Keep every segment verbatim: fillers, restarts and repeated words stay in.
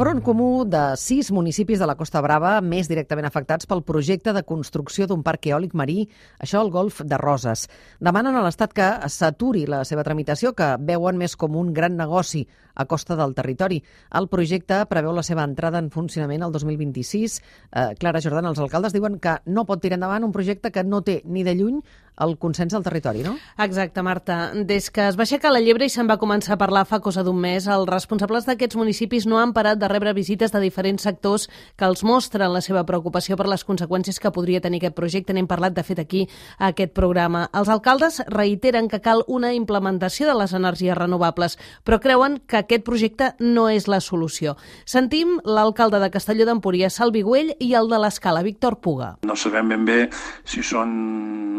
front comú de sis municipis de la Costa Brava més directament afectats pel projecte de construcció d'un parc eòlic marí, això al Golf de Roses. Demanen a l'Estat que s'aturi la seva tramitació, que veuen més com un gran negoci a costa del territori. El projecte preveu la seva entrada en funcionament el dos mil vint-i-sis. Eh, Clara Jordan, els alcaldes diuen que no pot tirar endavant un projecte que no té ni de lluny el consens del territori, no? Exacte, Marta. Des que es va aixecar la llebre i se'n va començar a parlar fa cosa d'un mes, els responsables d'aquests municipis no han parat de rebre visites de diferents sectors que els mostren la seva preocupació per les conseqüències que podria tenir aquest projecte. N'hem parlat, de fet, aquí, a aquest programa. Els alcaldes reiteren que cal una implementació de les energies renovables, però creuen que aquest projecte no és la solució. Sentim l'alcalde de Castelló d'Empúries, Salvi Güell, i el de l'Escala, Víctor Puga. No sabem ben bé si són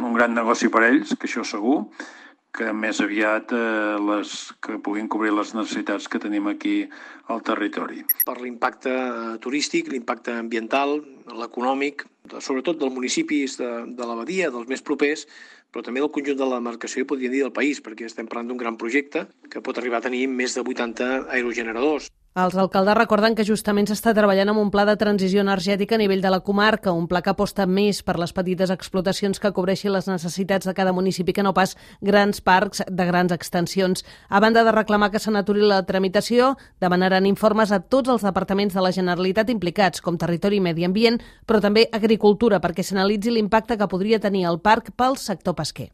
un gran negoci per ells, que això segur, que més aviat eh, les, que puguin cobrir les necessitats que tenim aquí al territori. Per l'impacte turístic, l'impacte ambiental, l'econòmic, sobretot dels municipis de, de la Badia, dels més propers, però també del conjunt de la demarcació i podríem dir del país, perquè estem parlant d'un gran projecte que pot arribar a tenir més de vuitanta aerogeneradors. Els alcaldes recorden que justament s'està treballant amb un pla de transició energètica a nivell de la comarca, un pla que aposta més per les petites explotacions que cobreixin les necessitats de cada municipi, que no pas grans parcs de grans extensions. A banda de reclamar que se n'aturi la tramitació, demanaran informes a tots els departaments de la Generalitat implicats, com Territori i Medi Ambient, però també Agricultura, perquè s'analitzi l'impacte que podria tenir el parc pel sector pesquer.